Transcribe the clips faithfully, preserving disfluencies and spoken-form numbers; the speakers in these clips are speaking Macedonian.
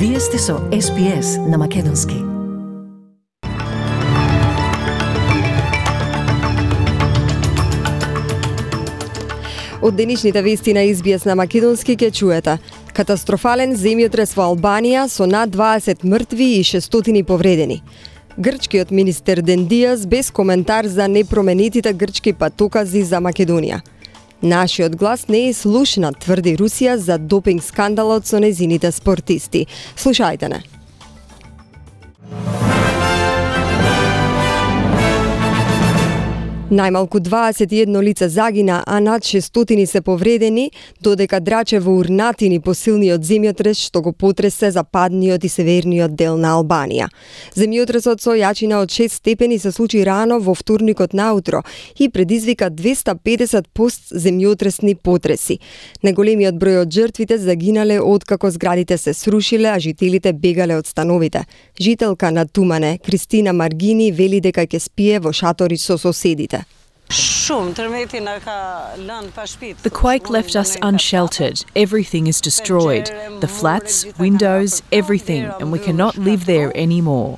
Вие сте со Ес Би Ес на Македонски. Од денешните вести на Ес Би Ес на Македонски ќе чуете: катастрофален земјотрес во Албанија со над дваесет мртви и шестстотини повредени. Грчкиот министер Дендијас без коментар за непроменетите грчки патокази за Македонија. Нашиот глас не е слушнат, тврди Русија за допинг скандалот со незините спортисти. Слушајте не. Најмалку дваесет и едно лице загина, а над шестстотини се повредени, додека драче во урнатини по силниот земјотрес што го потресе западниот и северниот дел на Албанија. Земјотресот со јачина од шест степени се случи рано во вторникот наутро и предизвика двеста педесет постземјотресни потреси. Најголемиот број од жртвите загинале откако зградите се срушиле, а жителите бегале од становите. Жителка на Тумане, Кристина Маргини, вели дека ќе спие во шатори со соседите. The quake left us unsheltered. Everything is destroyed. The flats, windows, everything, and we cannot live there anymore.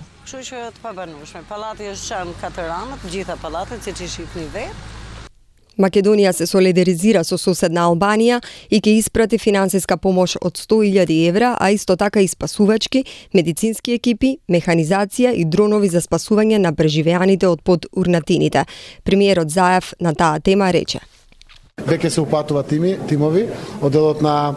Македонија се солидаризира со соседна Албанија и ќе испрати финансиска помош од сто илјади евра, а исто така и спасувачки, медицински екипи, механизација и дронови за спасување на преживеаните од под урнатините. Премиерот Заев на таа тема рече: Веќе се упатуваат тими, тимови, одделот на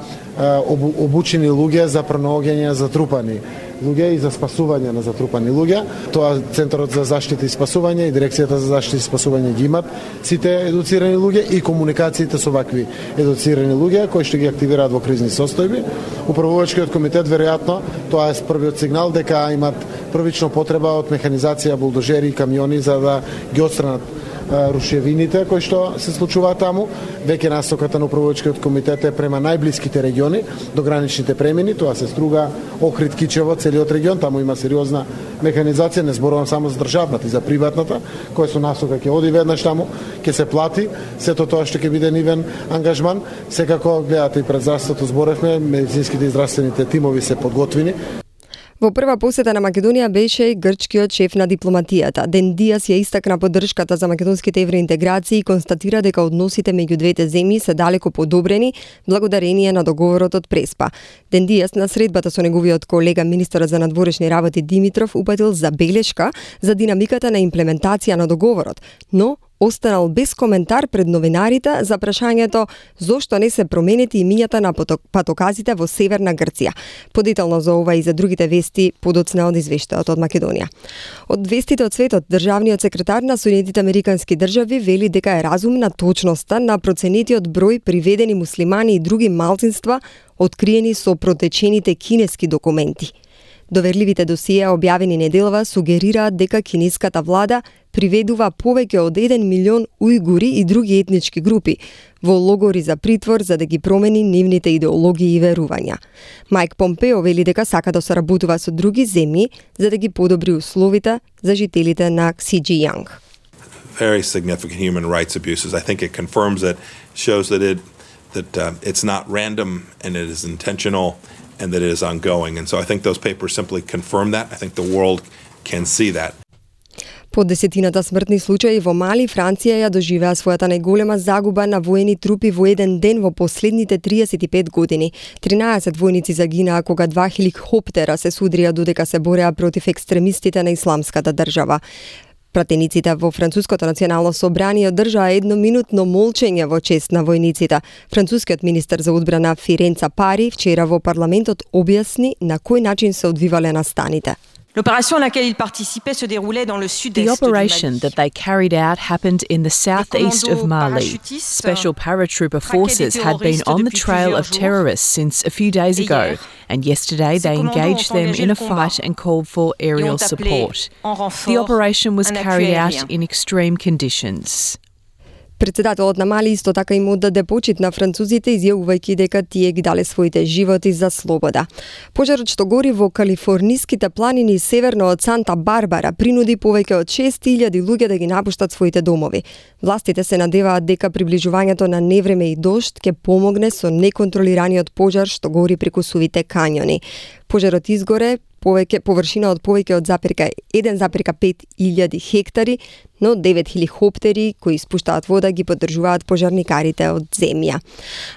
обу, обучени луѓе за пронаоѓање затрупани луѓе и за спасување на затрупани луѓе. Тоа Центарот за заштита и спасување и Дирекцијата за заштита и спасување ги имат сите едуцирани луѓе и комуникациите со вакви едуцирани луѓе кои што ги активираат во кризни состојби. Управувачкиот комитет веројатно тоа е првиот сигнал дека имат првично потреба од механизација, булдожери и камиони за да ги отстранат рушевините кои што се случуваат таму. Веќе насоката на управувачкиот комитет е према најблиските региони до граничните премини, тоа се Струга, Охрид, Кичево, целиот регион, таму има сериозна механизација, не зборувам само за државната и за приватната, која со насока ќе оди веднаш таму, ќе се плати, сето тоа што ќе биде нивен ангажман. Секако гледате и пред здравството зборевме, медицинските и здравствените тимови се подготвени. Во прва посета на Македонија беше и грчкиот шеф на дипломатијата. Дендијас ја истакна поддршката за македонските евроинтеграции и констатира дека односите меѓу двете земји се далеко подобрени благодарение на договорот од Преспа. Дендијас на средбата со неговиот колега министерот за надворешни работи Димитров упатил забелешка за динамиката на имплементација на договорот, но останал без коментар пред новинарите за прашањето зошто не се променети имињата на патоказите во Северна Грција. Подетално за ова и за другите вести подоцна од извештајот од Македонија. Од вестите од светот, државниот секретар на Соединетите Американски држави вели дека е разумна точноста на проценетиот број приведени муслимани и други малцинства откриени со протечените кинески документи. Доверливите досија објавени неделва сугерираат дека кинеската влада приведува повеќе од еден милион ујгури и други етнички групи во логори за притвор за да ги промени нивните идеологии и верувања. Мајк Помпео вели дека сака да соработува со други земји за да ги подобри условите за жителите на Ксиџијанг. Very significant human rights abuses. I think it confirms it, shows that it that uh, it's not random and it is intentional and that it is ongoing. And so I think those papers simply confirm that. I think the world can see that. По десетината смртни случаи во Мали, Франција ја доживеа својата најголема загуба на воени трупи во еден ден во последните триесет и пет години. тринаесет војници загинаа кога два хеликоптера се судрија додека се бореа против екстремистите на Исламската држава. Пратениците во Француското национално собрание одржаа едноминутно молчење во чест на војниците. Францускиот министер за одбрана Фиренца Пари вчера во парламентот објасни на кој начин се одвивале настаните. The operation that they carried out happened in the southeast of Mali. Special paratrooper forces had been on the trail of terrorists since a few days ago, and yesterday they engaged them in a fight and called for aerial support. The operation was carried out in extreme conditions. Председателот на Мали исто така им оддаде почит на французите, изјавувајќи дека тие ги дале своите животи за слобода. Пожарот што гори во калифорниските планини северно од Санта Барбара принуди повеќе од шест илјади луѓе да ги напуштат своите домови. Властите се надеваат дека приближувањето на невреме и дожд ќе помогне со неконтролираниот пожар што гори преку сувите кањони. Пожарот изгоре повеќе површина од повеќе од еден запирка пет илјади хектари, но девет хеликоптери кои испуштаат вода ги поддржуваат пожарникарите од земја.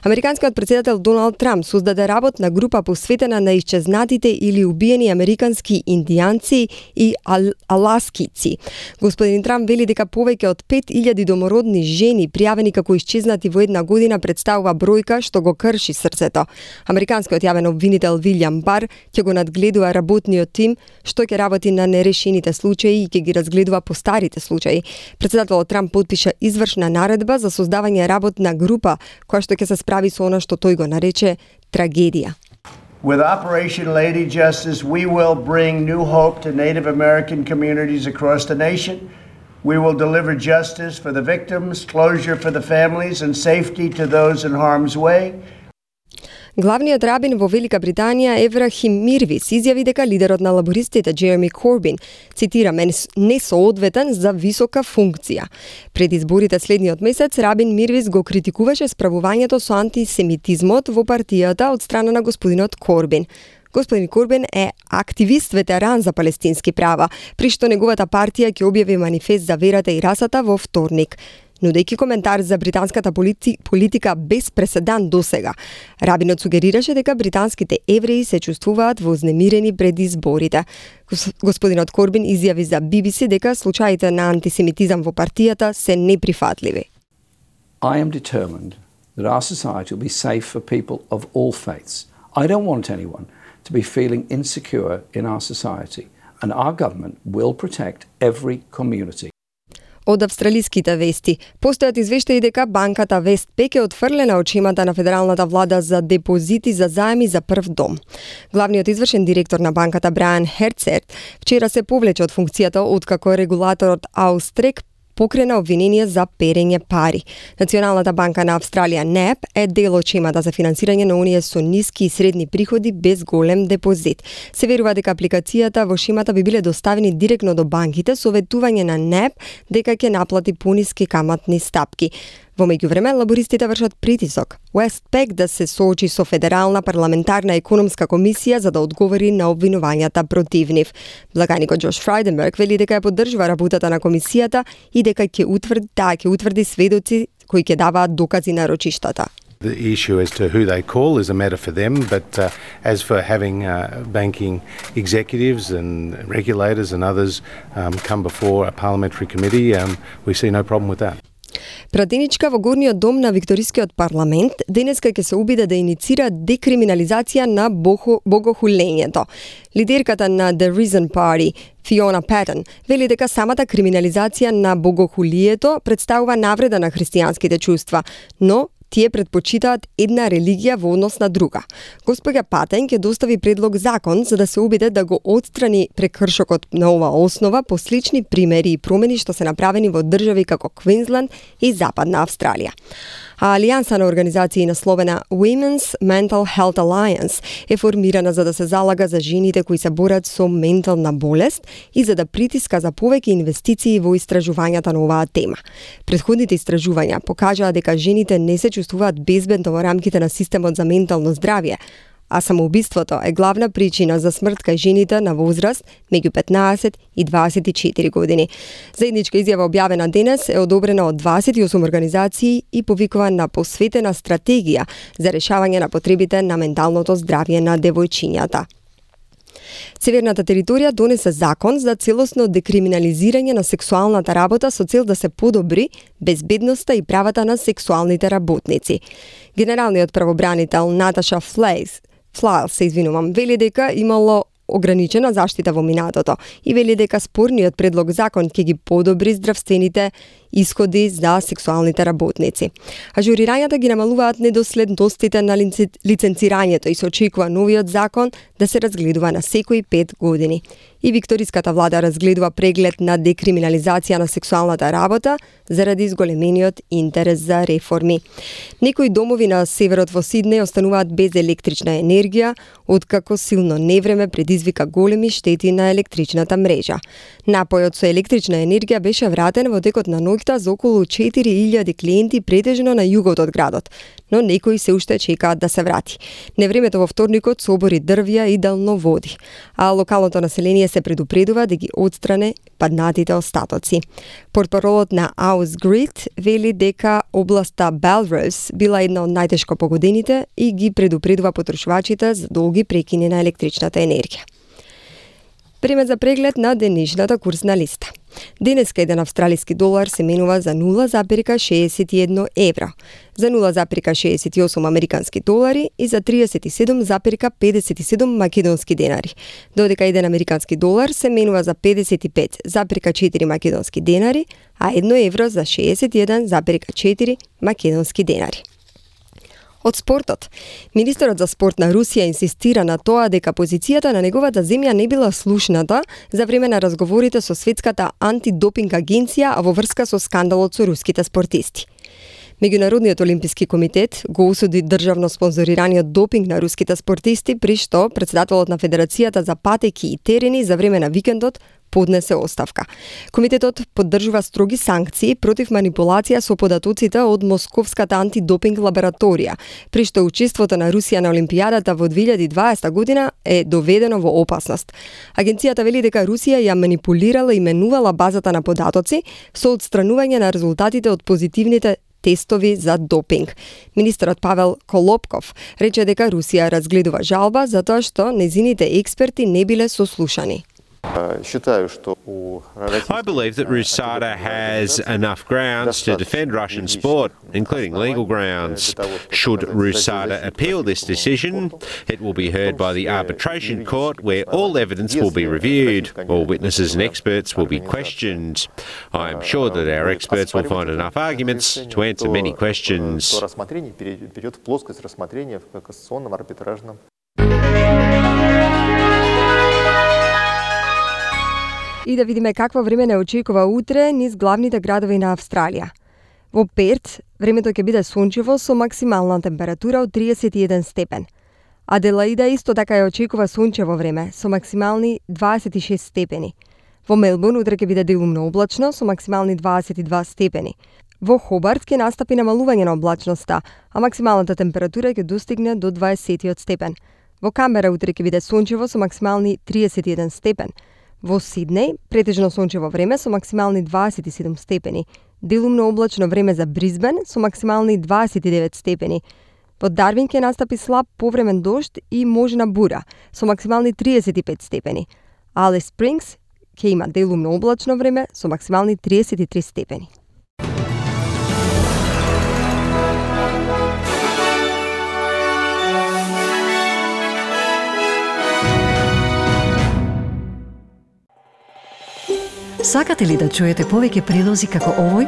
Американскиот председател Доналд Трамп создаде работна група посветена на исчезнатите или убиени американски индијанци и ал аласкици. Господин Трамп вели дека повеќе од пет илјади домородни жени пријавени како исчезнати во една година представува бројка што го крши срцето. Американскиот јавен обвинител Вилјам Бар ќе го надгледува работниот тим што ќе работи на нерешените случаи и ќе ги разгледува постарите случаи. Председателот Трамп потпиша извршна наредба за создавање работна група која што ќе се справи со она што тој го нарече трагедија. With Operation Lady Justice, we will bring new hope to Native American communities across the nation. We will deliver justice for the victims, closure for the families, and safety to those in harm's way. Главниот рабин во Велика Британија Еврахим Мирвис изјави дека лидерот на лабористите Джереми Корбин, цитираме, не соодветен за висока функција. Пред изборите следниот месец рабин Мирвис го критикуваше справувањето со антисемитизмот во партијата од страна на господинот Корбин. Господин Корбин е активист ветеран за палестински права, при што неговата партија ќе објави манифест за верата и расата во вторник. Нудејќи коментар за британската полити, политика без преседан досега, рабинот сугерираше дека британските евреи се чувствуваат вознемирени пред изборите. Господинот Корбин изјави за Би Би Си дека случаите на антисемитизам во партијата се неприфатливи. I am determined that our society will be safe for people of all faiths. I don't want anyone to be feeling insecure in our society, and our government will protect every community. Од австралиските вести, постојат извештаи дека банката Вестпек е отфрлена од шемата на федералната влада за депозити за заеми за прв дом. Главниот извршен директор на банката Брайан Херцерт вчера се повлече од функцијата откако регулаторот Аустрек покрена обвинение за перење пари. Националната банка на Австралија Н E P е дел од шемата за финансирање на оние со ниски и средни приходи без голем депозит. Се верува дека апликацијата во шемата би биле доставени директно до банките со ветување на Н E P дека ќе наплати пониски каматни стапки. Во меѓувреме, лабористите вршат притисок Westpac да се соочи со Федерална парламентарна економска комисија за да одговори на обвинувањата против нив. Благаникот Джош Фрайденберг вели дека ја поддржува работата на комисијата и дека ќе утврди, да, ќе утврди сведоци кои ќе даваат докази на рочиштата. The issue as to who they call is a matter for them, but uh, as for having uh, banking executives and regulators and others um, come before a parliamentary committee, um, we see no problem with that. Пратеничка во горниот дом на Викторискиот парламент денеска ќе се обиде да иницира декриминализација на богохулењето. Лидерката на The Reason Party, Фиона Патен, вели дека самата криминализација на богохулието представува навреда на христијанските чувства, но тие предпочитаат една религија во однос на друга. Господја Патен ќе достави предлог закон за да се обиде да го отстрани прекршокот на ова основа по слични примери и промени што се направени во држави како Квинсленд и Западна Австралија. А Алијанса на организации насловена Women's Mental Health Alliance е формирана за да се залага за жените кои се борат со ментална болест и за да притиска за повеќе инвестиции во истражувањата на оваа тема. Претходните истражувања покажаа дека жените не се чувствуваат безбедно во рамките на системот за ментално здравје, а самоубиството е главна причина за смрт кај жените на возраст меѓу петнаесет и дваесет и четири години. Заедничка изјава објавена денес е одобрена од дваесет и осум организации и повикува на посветена стратегија за решавање на потребите на менталното здравје на девојчињата. Северната територија донесе закон за целосно декриминализирање на сексуалната работа со цел да се подобри безбедноста и правата на сексуалните работници. Генералниот правобранител Наташа Флейс Флайл се извинувам, вели дека имало ограничена заштита во минатото и вели дека спорниот предлог закон ќе ги подобри здравствените исходи за сексуалните работници. Ажурирањата ги намалуваат недоследностите на лиценцирањето и се очекува новиот закон да се разгледува на секои пет години. И викториската влада разгледува преглед на декриминализација на сексуалната работа заради изголемениот интерес за реформи. Некои домови на северот во Сиднеј остануваат без електрична енергија, откако силно невреме предизвика големи штети на електричната мрежа. Напојот со електрична енергија беше вратен во текот на ноќта за околу четири илјади клиенти претежно на југот од градот, но некои се уште чекаат да се врати. Невремето во вторникот собори дрвја и далноводи, а локалното население се предупредува да ги отстране паднатите остатоци. Портпаролот на Ausgrid вели дека областа Belrose била една од најтешко погодените и ги предупредува потрошувачите за долги прекини на електричната енергија. Време за преглед на денешната курсна листа. Денеска еден австралиски долар се менува за нула запирка шеесет и едно евро, за нула запирка шеесет и осум американски долари и за триесет и седум запирка педесет и седум македонски денари, додека еден американски долар се менува за педесет и пет запирка четири македонски денари, а едно евро за шеесет и еден запирка четири македонски денари. Од спортот. Министерот за спорт на Русија инсистира на тоа дека позицијата на неговата земја не била слушната за време на разговорите со Светската антидопинг агенција, а во врска со скандалот со руските спортисти. Меѓународниот олимписки комитет го осуди државно спонзорираниот допинг на руските спортисти, при што претседателот на Федерацијата за патеки и терени за време на викендот поднесе оставка. Комитетот поддржува строги санкции против манипулација со податоците од Московската антидопинг лабораторија, при што учеството на Русија на Олимпијадата во две илјади и дваесета година е доведено во опасност. Агенцијата вели дека Русија ја манипулирала и менувала базата на податоци со отстранување на резултатите од позитивните тестови за допинг. Министерот Павел Колопков рече дека Русија разгледува жалба затоа што незините експерти не биле сослушани. I believe that RUSADA has enough grounds to defend Russian sport, including legal grounds. Should RUSADA appeal this decision, it will be heard by the arbitration court where all evidence will be reviewed. All witnesses and experts will be questioned. I am sure that our experts will find enough arguments to answer many questions. И да видиме какво време не очекува утре низ главните градови на Австралија. Во Перт, времето ќе биде сончево со максимална температура од триесет и еден степен. Аделаида исто така ја очекува сончево време со максимални дваесет и шест степени. Во Мелбурн утре ќе биде делумно облачно со максимални дваесет и два степени. Во Хобарт ќе настапи намалување на облачноста, а максималната температура ќе достигне до дваесетиот степен. Во Камбера утре ќе биде сончево со максимални триесет и еден степен. Во Сиднеј претежно сончево време со максимални дваесет и седум степени. Делумно облачно време за Брисбен со максимални дваесет и девет степени. Во Дарвин ќе настапи слаб повремен дожд и можна бура со максимални триесет и пет степени. Алис Спрингс ќе има делумно облачно време со максимални триесет и три степени. Сакате ли да чуете повеќе прилози како овој?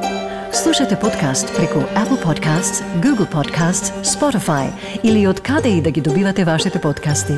Слушате подкаст преку Apple Podcasts, Google Podcasts, Spotify или од каде и да ги добивате вашите подкасти.